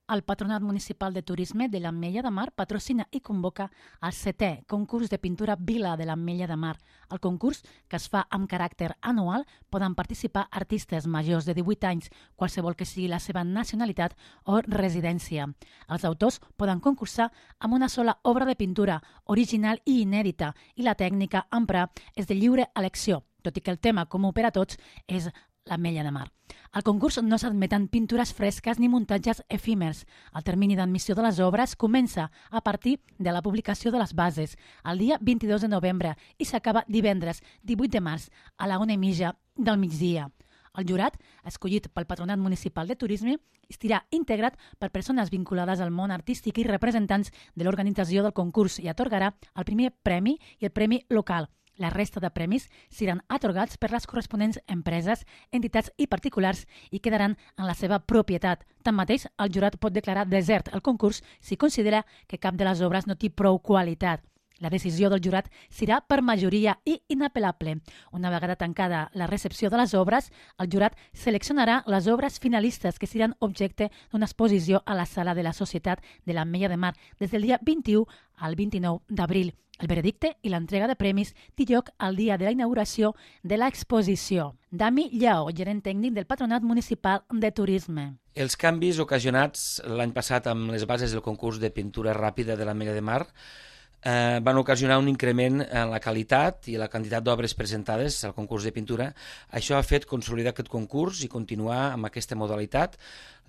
El Patronat Municipal de Turisme de l'Ametlla de Mar patrocina i convoca el 7è concurs de pintura Vila de l'Ametlla de Mar. El concurs, que es fa amb caràcter anual, poden participar artistes majors de 18 anys, qualsevol que sigui la seva nacionalitat o residència. Els autors poden concursar amb una sola obra de pintura, original i inèdita, i la tècnica a emprar és de lliure elecció, tot i que el tema comú per a tots és l'Ametlla de Mar. Al concurs no s'admeten pintures fresques ni muntatges efímers. El termini d'admissió de les obres comença a partir de la publicació de les bases, el dia 22 de novembre, i s'acaba divendres 18 de març a la 1:30 del migdia. El jurat, escollit pel Patronat Municipal de Turisme, estarà integrat per persones vinculades al món artístic i representants de l'organització del concurs i atorgarà el primer premi i el premi local. La resta de premis seran atorgats per les corresponents empreses, entitats i particulars i quedaran en la seva propietat. Tanmateix, el jurat pot declarar desert el concurs si considera que cap de les obres no té prou qualitat. La decisió del jurat serà per majoria i inapel·lable. Una vegada tancada la recepció de les obres, el jurat seleccionarà les obres finalistes que seran objecte d'una exposició a la Sala de la Societat de l'Ametlla de Mar des del dia 21 al 29 d'abril. El veredicte i l'entrega de premis té lloc el dia de la inauguració de l'exposició. Dami Lleó, gerent tècnic del Patronat Municipal de Turisme. Els canvis ocasionats l'any passat amb les bases del concurs de pintura ràpida de l'Ametlla de Mar van ocasionar un increment en la qualitat i la quantitat d'obres presentades al concurs de pintura. Això ha fet consolidar aquest concurs i continuar amb aquesta modalitat,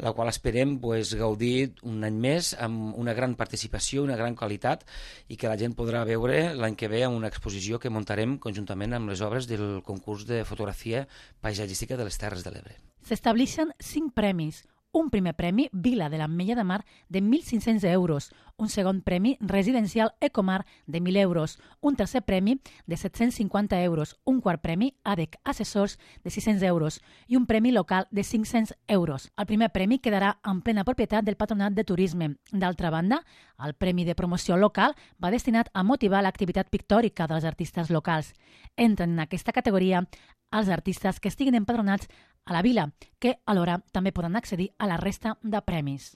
la qual esperem gaudir un any més amb una gran participació, una gran qualitat, i que la gent podrà veure l'any que ve en una exposició que muntarem conjuntament amb les obres del concurs de fotografia paisatgística de les Terres de l'Ebre. S'estableixen 5 premis. Un primer premi Vila de l'Ametlla de Mar de 1.500 euros, un segon premi Residencial Ecomar de 1.000 euros, un tercer premi de 750 euros, un quart premi ADEC Assessors de 600 euros i un premi local de 500 euros. El primer premi quedarà en plena propietat del Patronat de Turisme. D'altra banda, el premi de promoció local va destinat a motivar l'activitat pictòrica dels artistes locals. Entren en aquesta categoria els artistes que estiguin empadronats a la vila, que alhora també poden accedir a la resta de premis.